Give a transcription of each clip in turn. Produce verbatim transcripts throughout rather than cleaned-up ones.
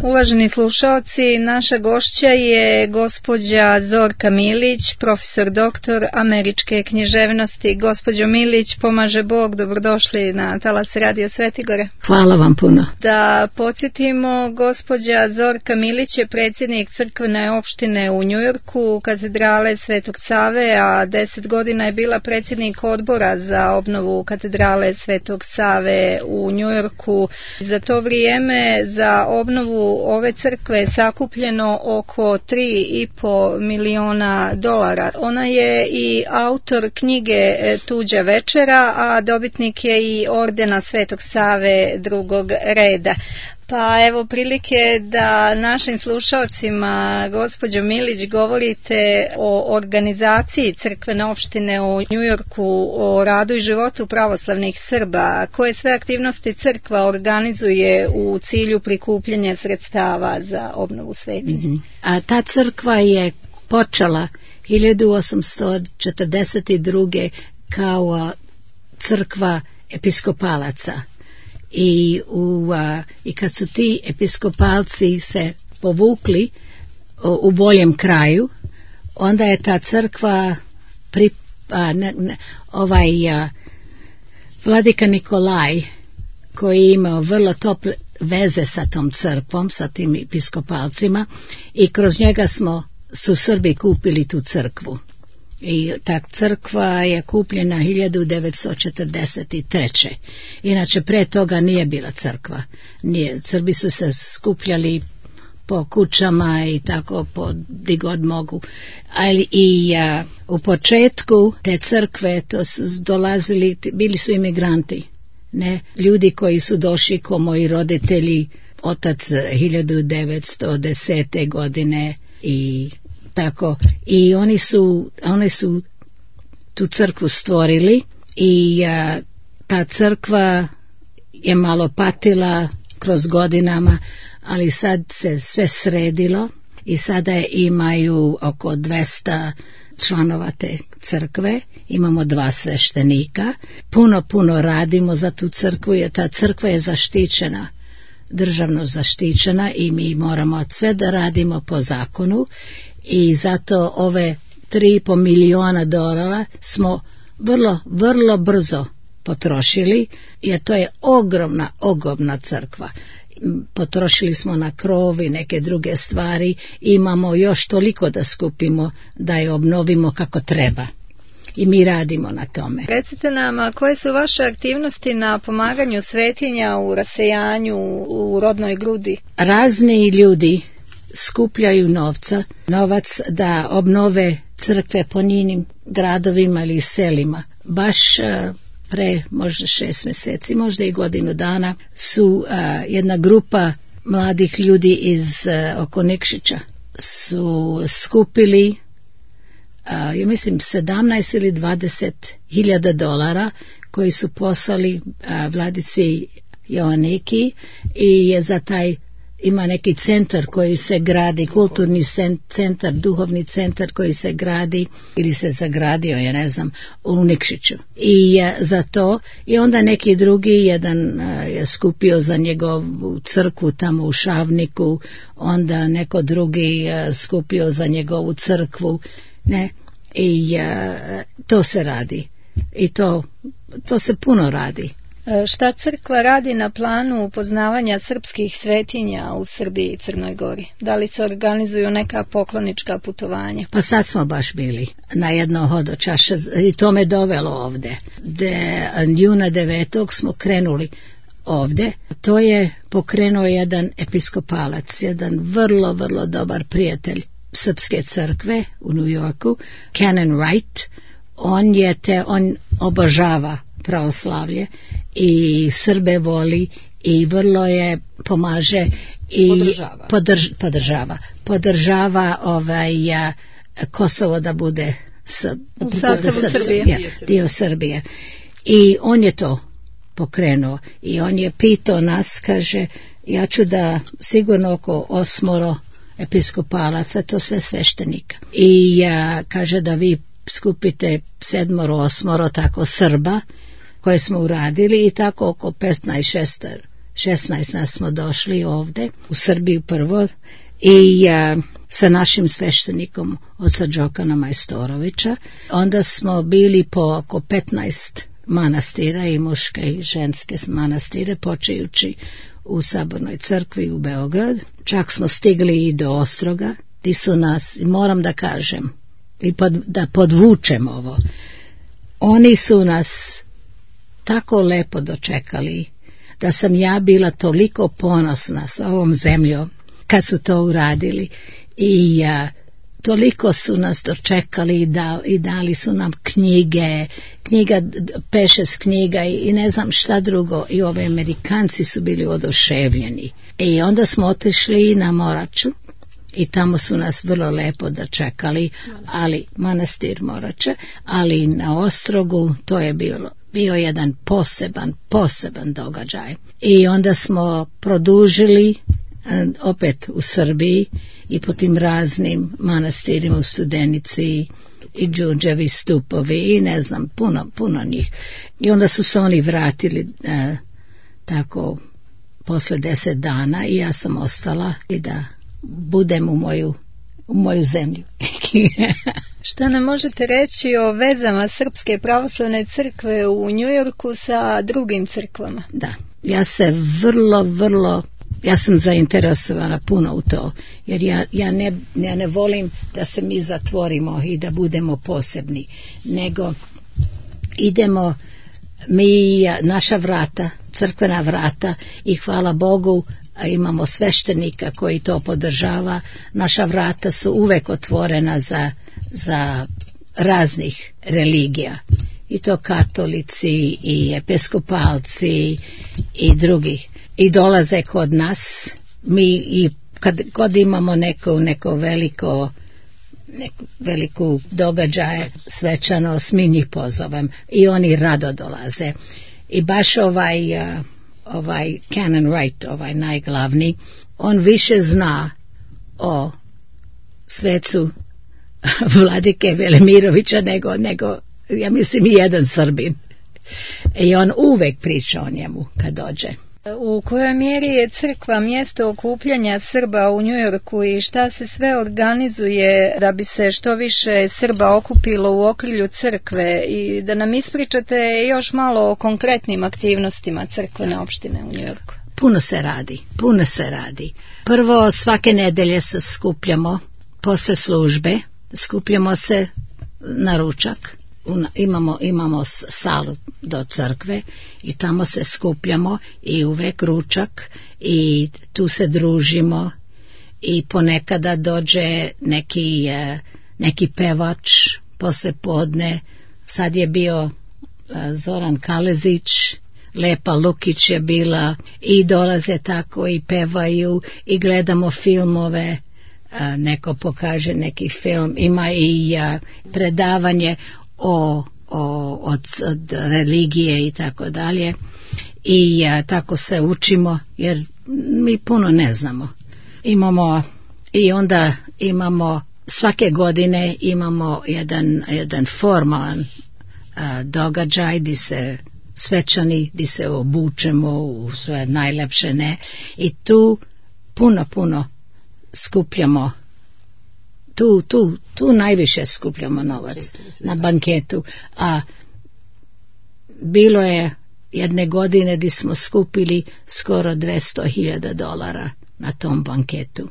Uvaženi slušaoci, naša gošća je gospođa Zorka Milić, profesor doktor američke književnosti. Gospođo Milić, pomaže Bog, dobrodošli na talas Radio Svetigore. Hvala vam puno. Da podsjetimo, gospođa Zorka Milić je predsjednik crkvene opštine u Njujorku, katedrale Svetog Save, a deset godina je bila predsjednik odbora za obnovu katedrale Svetog Save u Njujorku. Za to vrijeme za obnovu ove crkve je sakupljeno oko tri i po miliona dolara. Ona je i autor knjige Tuđa večera, a dobitnik je i ordena Svetog Save drugog reda. Pa evo prilike da našim slušalcima, gospođo Milić, govorite o organizaciji crkvene opštine u Njujorku, o radu i životu pravoslavnih Srba. Koje sve aktivnosti crkva organizuje u cilju prikupljanja sredstava za obnovu svetinje? Mm-hmm. A ta crkva je počela hiljadu osamsto četrdeset druge kao crkva episkopalaca. I, u, a, i kad su ti episkopalci se povukli o, u boljem kraju, onda je ta crkva pri, a, ne, ne, ovaj a, vladika Nikolaj, koji je imao vrlo tople veze sa tom crkvom, sa tim episkopalcima, i kroz njega smo su Srbi kupili tu crkvu. I ta crkva je kupljena hiljadu devetsto četrdeset treće. Inače, pre toga nije bila crkva. Nije, Srbi su se skupljali po kućama i tako po di god mogu. Ali i a, u početku te crkve to su dolazili, bili su imigranti. Ne, ljudi koji su došli ko moji roditelji, otac hiljadu devetsto desete godine i tako, i oni su, oni su tu crkvu stvorili i a, ta crkva je malo patila kroz godinama, ali sad se sve sredilo i sada imaju oko dvesta članova te crkve, imamo dva sveštenika, puno, puno radimo za tu crkvu, jer ta crkva je zaštićena, državno zaštićena i mi moramo sve da radimo po zakonu. I zato ove tri i po miliona dolara smo vrlo, vrlo brzo potrošili, jer to je ogromna, ogromna crkva. Potrošili smo na krov i neke druge stvari, imamo još toliko da skupimo da je obnovimo kako treba. I mi radimo na tome. Recite nam, koje su vaše aktivnosti na pomaganju svetinja u rasejanju u rodnoj grudi? Razni ljudi skupljaju novca, novac da obnove crkve po njinim gradovima ili selima. Baš uh, pre možda šest mjeseci, možda i godinu dana su uh, jedna grupa mladih ljudi iz uh, oko Nikšića su skupili uh, ja mislim sedamnaest ili dvadeset hiljada dolara koji su poslali uh, vladici Joaniki i je za taj ima neki centar koji se gradi, kulturni centar, duhovni centar koji se gradi ili se zagradio, ja ne znam, u Nikšiću. I je za to, i onda neki drugi, jedan je skupio za njegovu crkvu tamo u Šavniku, onda neko drugi skupio za njegovu crkvu, ne, i to se radi. I to, to se puno radi. Šta crkva radi na planu upoznavanja srpskih svetinja u Srbiji i Crnoj Gori? Da li se organizuju neka poklonička putovanja? Pa sad smo baš bili na jedno hodočaše i to me dovelo ovde. De, juna devetog smo krenuli ovde. To je pokrenuo jedan episkopalac, jedan vrlo, vrlo dobar prijatelj Srpske crkve u New Yorku, Canon Wright. On je te, on obožava pravoslavlje i Srbe voli i vrlo je pomaže i podržava podrž, podržava, podržava ovaj a, Kosovo da bude s, u sastavu Srbije, Srbije. dio Srbije. I on je to pokrenuo i on je pitao nas, kaže, ja ću da sigurno oko osmoro episkopalaca, to sve sveštenika. I a, kaže da vi skupite sedmoro, osmoro tako Srba koje smo uradili i tako oko petnaest šesnaest šesnaest nas smo došli ovde, u Srbiju prvo, i a, sa našim sveštenikom oca Đokana Majstorovića. Onda smo bili po oko petnaest manastira, i muške i ženske manastire, počejući u Sabornoj crkvi u Beograd. Čak smo stigli i do Ostroga, ti su nas, moram da kažem, i pod, da podvučem ovo, oni su nas tako lepo dočekali, da sam ja bila toliko ponosna sa ovom zemljom kad su to uradili, i a, toliko su nas dočekali i, da, i dali su nam knjige, knjiga, Pešes knjiga i, i ne znam šta drugo, i ove Amerikanci su bili oduševljeni. I onda smo otišli na Moraču i tamo su nas vrlo lepo dočekali, ali manastir Morače, ali na Ostrogu to je bilo bio jedan poseban, poseban događaj. I onda smo produžili opet u Srbiji i po tim raznim manastirima u Studenici i Đurđevi stupovi i ne znam, puno, puno njih. I onda su se oni vratili e, tako posle deset dana i ja sam ostala i da budem u moju, u moju zemlju. Šta nam možete reći o vezama Srpske pravoslavne crkve u Njujorku sa drugim crkvama? Da, ja se vrlo, vrlo ja sam zainteresovana puno u to, jer ja, ja, ne, ja ne volim da se mi zatvorimo i da budemo posebni, nego idemo mi, naša vrata, crkvena vrata, i hvala Bogu imamo sveštenika koji to podržava, naša vrata su uvek otvorena za, za raznih religija, i to katolici i episkopalci i drugih, i dolaze kod nas. Mi i kad god imamo neko, neko veliko neku veliku događaje svečanost, mi njih pozovem i oni rado dolaze. I baš ovaj uh, ovaj Canon Wright, ovaj najglavni, on više zna o svecu vladike Velimirovića nego, nego ja mislim i jedan Srbin. I on uvek priča o njemu kad dođe. U kojoj mjeri je crkva mjesto okupljanja Srba u Njujorku i šta se sve organizuje da bi se što više Srba okupilo u okrilju crkve, i da nam ispričate još malo o konkretnim aktivnostima crkvene opštine u Njujorku? Puno se radi, puno se radi. Prvo, svake nedelje se skupljamo posle službe, skupljamo se na ručak. Imamo, imamo salu do crkve i tamo se skupljamo i uvek ručak i tu se družimo, i ponekada dođe neki, neki pevač posle podne. Sad je bio Zoran Kalezić, Lepa Lukić je bila, i dolaze tako i pevaju i gledamo filmove. Neko pokaže neki film, ima i predavanje o, o, od, od religije i tako dalje, i a, tako se učimo jer mi puno ne znamo. Imamo i onda imamo svake godine imamo jedan, jedan formalan a, događaj gdje se svečani, gdje se obučemo u svoje najlepše, ne, i tu puno puno skupljamo. Tu, tu, tu najviše skupljamo novac na banketu, a bilo je jedne godine gdje smo skupili skoro dvesta hiljada dolara na tom banketu.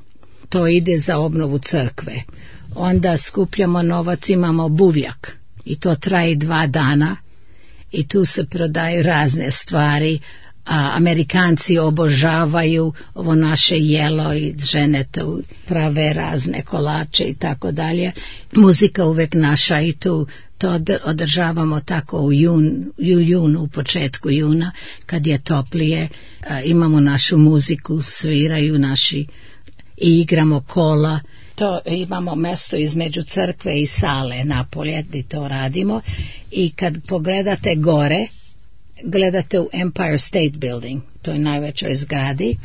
To ide za obnovu crkve. Onda skupljamo novac, imamo buvljak i to traje dva dana i tu se prodaju razne stvari. A Amerikanci obožavaju ovo naše jelo i žene tu prave razne kolače i tako dalje. Muzika uvek naša, i tu to održavamo tako u, jun, u junu, u početku juna kad je toplije. A, imamo našu muziku, sviraju naši i igramo kola. To imamo mesto između crkve i sale napolje gdje to radimo, i kad pogledate gore gledate u Empire State Building, to je najvećoj zgradi,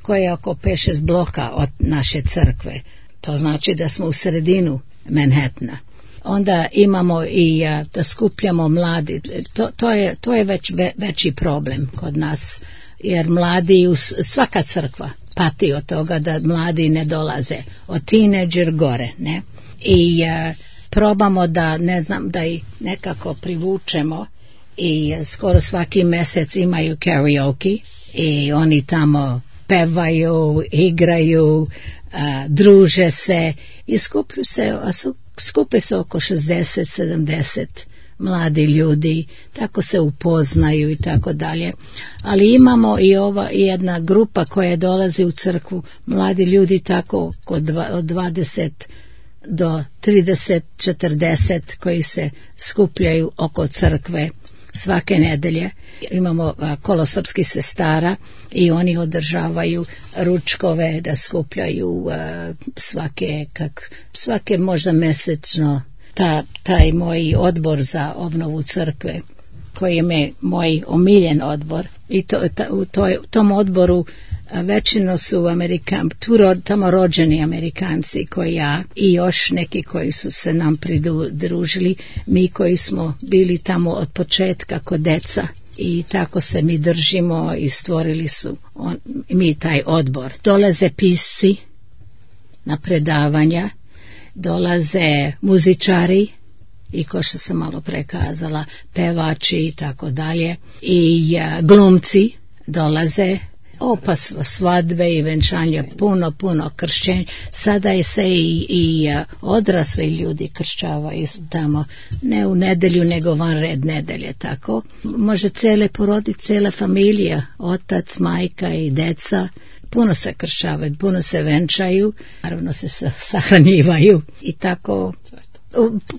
koja je oko pet šest bloka od naše crkve. To znači da smo u sredinu Manhattana. Onda imamo i a, da skupljamo mladi. To, to, je, to je već ve, veći problem kod nas. jer mladi, svaka crkva pati od toga da mladi ne dolaze, od tineđer gore, ne? I uh, probamo da, ne znam, da ih nekako privučemo i uh, skoro svaki mjesec imaju karaoke i oni tamo pevaju, igraju, uh, druže se i skuplju se, skupe se oko šezdeset sedamdeset mladi ljudi, tako se upoznaju i tako dalje. Ali imamo i ova jedna grupa koja dolazi u crkvu, mladi ljudi tako od dvadeset do trideset četrdeset koji se skupljaju oko crkve svake nedelje. Imamo kolosopskih sestara i oni održavaju ručkove da skupljaju uh, svake, kak, svake možda mjesečno ta, taj moj odbor za obnovu crkve koji je moj omiljen odbor i to, ta, u toj, tom odboru većino su Amerikan, tu ro, tamo rođeni Amerikanci koji ja i još neki koji su se nam pridružili, mi koji smo bili tamo od početka kod deca i tako se mi držimo i stvorili su on, mi taj odbor. Dolaze pisci na predavanja, dolaze muzičari i ko što sam malo prekazala, pevači i tako dalje i uh, glumci dolaze. O, pa svadbe i venčanja, puno, puno kršćenja. Sada je se i, i uh, odrasli ljudi kršćavaju tamo, ne u nedelju, nego van red nedelje, tako. Može cele porodice, cela familija, otac, majka i deca, puno se kršćavaju, puno se venčaju, naravno se sahranjivaju i tako,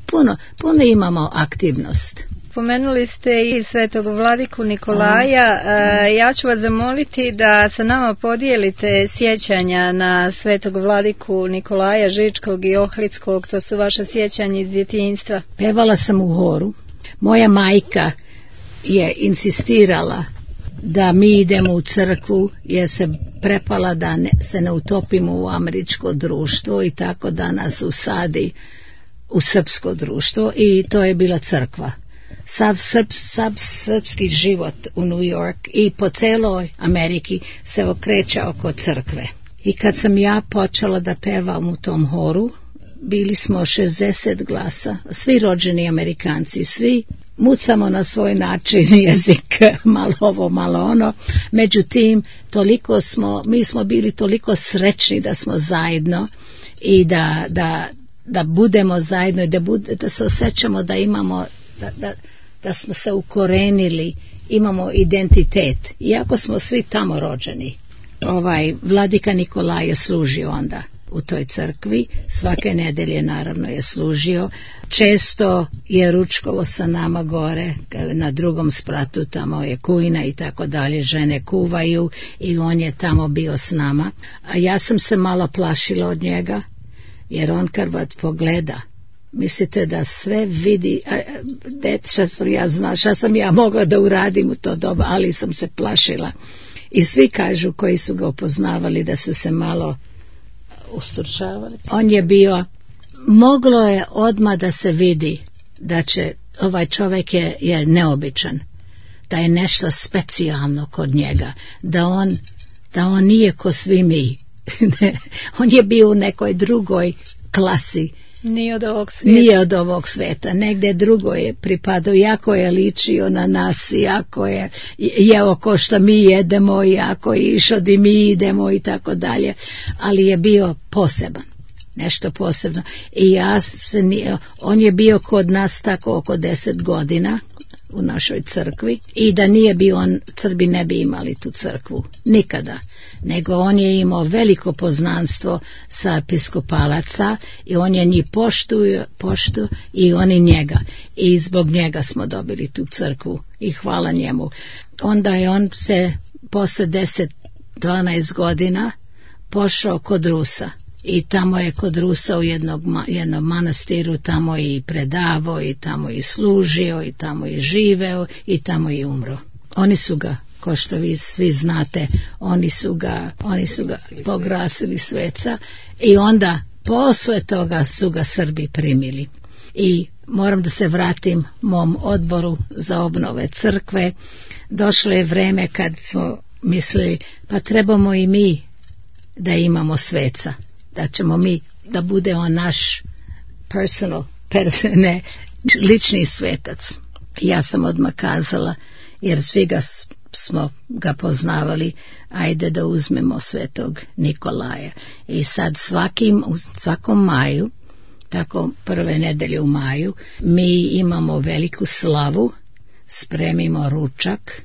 puno, puno imamo aktivnost. Pomenuli ste i svetog vladiku Nikolaja. E, ja ću vas zamoliti da sa nama podijelite sjećanja na svetog vladiku Nikolaja Žičkog i Ohridskog. To su vaše sjećanja iz djetinjstva. Pevala sam u horu. Moja majka je insistirala da mi idemo u crkvu jer se prepala da ne, se ne utopimo u američko društvo i tako da nas usadi u srpsko društvo i to je bila crkva. Sav, srp, sav srpski život u New York i po celoj Ameriki se okreće oko crkve. I kad sam ja počela da pevam u tom horu, bili smo šezdeset glasa, svi rođeni Amerikanci, svi mucamo na svoj način jezik, malo ovo, malo ono. Međutim, toliko smo, mi smo bili toliko srećni da smo zajedno i da, da, da budemo zajedno i da, bude, da se osjećamo da imamo, da, da, da smo se ukorenili, imamo identitet, iako smo svi tamo rođeni. Ovaj vladika Nikolaj je služio onda u toj crkvi, svake nedelje naravno je služio, često je ručkovo sa nama gore, na drugom spratu tamo je kujna i tako dalje, žene kuvaju i on je tamo bio s nama, a ja sam se malo plašila od njega, jer on kad vas pogleda, mislite da sve vidi, det, šta sam ja zna, šta sam ja mogla da uradim u to doba, ali sam se plašila. I svi kažu koji su ga upoznavali da su se malo usturčavali. On je bio, moglo je odmah da se vidi da će, ovaj čovjek je, je neobičan, da je nešto specijalno kod njega, da on, da on nije ko svi mi. On je bio u nekoj drugoj klasi. Nije od ovog svijeta. Nije od ovog svijeta. Negdje drugo je pripadao, jako je ličio na nas, jako je jeo ko što mi jedemo, jako je išao di mi idemo i tako dalje. Ali je bio poseban. Nešto posebno. I ja se nije, on je bio kod nas tako oko deset godina u našoj crkvi i da nije bio on, Srbi ne bi imali tu crkvu. Nikada. Nego on je imao veliko poznanstvo sa episkopalaca i on je njih poštuju, poštu i oni njega. I zbog njega smo dobili tu crkvu i hvala njemu. Onda je on se posle deset dvanaest godina pošao kod Rusa. I tamo je kod Rusa u jednog, jednom manastiru tamo i predavao i tamo i služio i tamo i živeo i tamo i umro. Oni su ga, ko što vi svi znate, oni su ga, oni su ga pograsili sveca i onda posle toga su ga Srbi primili. I moram da se vratim mom odboru za obnove crkve. Došlo je vreme kad smo mislili, pa trebamo i mi da imamo sveca, da ćemo mi, da bude on naš personal, ne, lični svetac. Ja sam odmah kazala, jer svi ga smo ga poznavali, ajde da uzmemo svetog Nikolaja. I sad svakim, u svakom maju, tako prve nedelje u maju, mi imamo veliku slavu, spremimo ručak,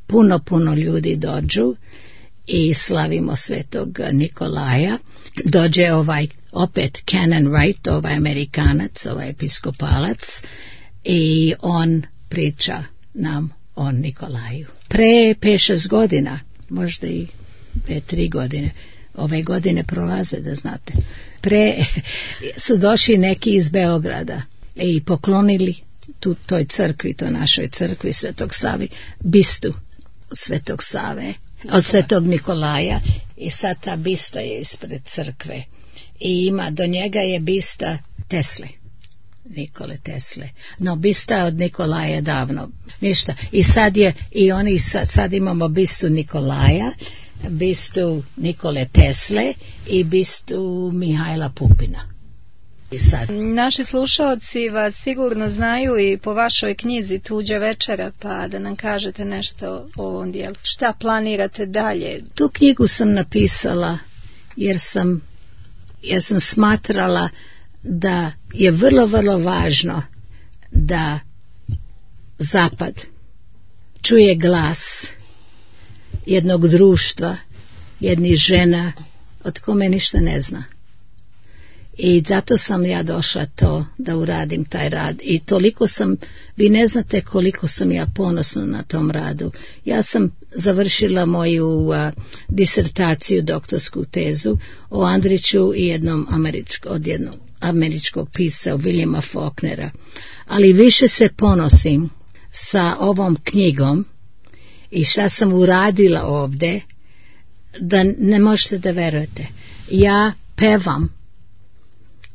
puno, puno ljudi dođu i slavimo svetog Nikolaja. Dođe ovaj opet Canon Wright, ovaj Amerikanac, ovaj episkopalac, i on priča nam o Nikolaju. Pre pet šest godina, možda i pre tri godine, ove godine prolaze, da znate, pre su došli neki iz Beograda i poklonili tu toj crkvi, to našoj crkvi Svetog Savi, bistu Svetog Save, od Svetog Nikolaja, i sad ta bista je ispred crkve i ima, do njega je bista Tesle, Nikole Tesle, no bista od Nikolaja davno ništa, i sad je, i oni sad, sad imamo bistu Nikolaja, bistu Nikole Tesle i bistu Mihajla Pupina. I sad. Naši slušaoci vas sigurno znaju i po vašoj knjizi Tuđa večera, pa da nam kažete nešto o ovom dijelu. Šta planirate dalje? Tu knjigu sam napisala jer sam, jer sam smatrala da je vrlo, vrlo važno da Zapad čuje glas jednog društva, jednih žena od kome ništa ne zna. I zato sam ja došla to da uradim taj rad. I toliko sam, vi ne znate koliko sam ja ponosna na tom radu. Ja sam završila moju uh, disertaciju, doktorsku tezu o Andriću i jednom američko, od jednog američkog pisca Williama Faulknera. Ali više se ponosim sa ovom knjigom i šta sam uradila ovde, da ne možete da verujete. Ja pevam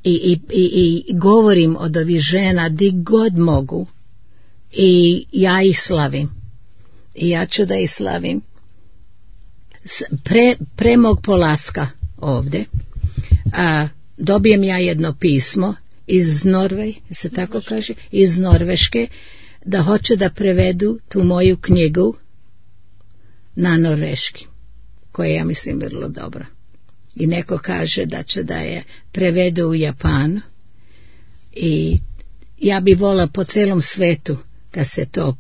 I, i, i, i govorim od ovih žena di god mogu i ja ih slavim i ja ću da ih slavim. Pre, pre mog polaska ovde a, dobijem ja jedno pismo iz Norve, se tako kaže, iz Norveške, da hoće da prevedu tu moju knjigu na norveški, koja ja mislim vrlo dobra. I neko kaže da će da je prevedu u Japanu, i ja bi volila po celom svetu da se to,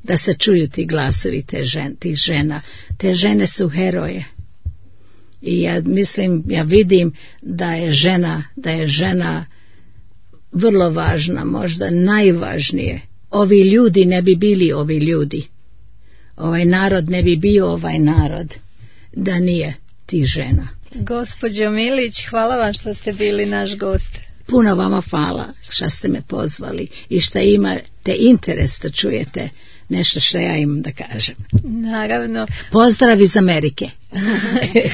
da se čuju ti glasovi te žen, tih žena. Te žene su heroje. I ja mislim, ja vidim da je žena, da je žena vrlo važna, možda najvažnije. Ovi ljudi ne bi bili ovi ljudi. Ovaj narod ne bi bio ovaj narod da nije tih žena. Gospođo Milić, hvala vam što ste bili naš gost. Puno vama hvala što ste me pozvali i što imate interes da čujete nešto što ja imam da kažem. Naravno. Pozdrav iz Amerike.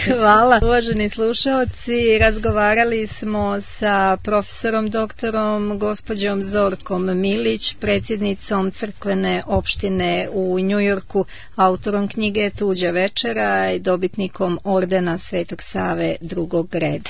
Hvala. Uvaženi slušaoci, razgovarali smo sa profesorom doktorom gospođom Zorkom Milić, predsjednicom crkvene opštine u Njujorku, autorom knjige Tuđa večera i dobitnikom ordena Svetog Save drugog reda.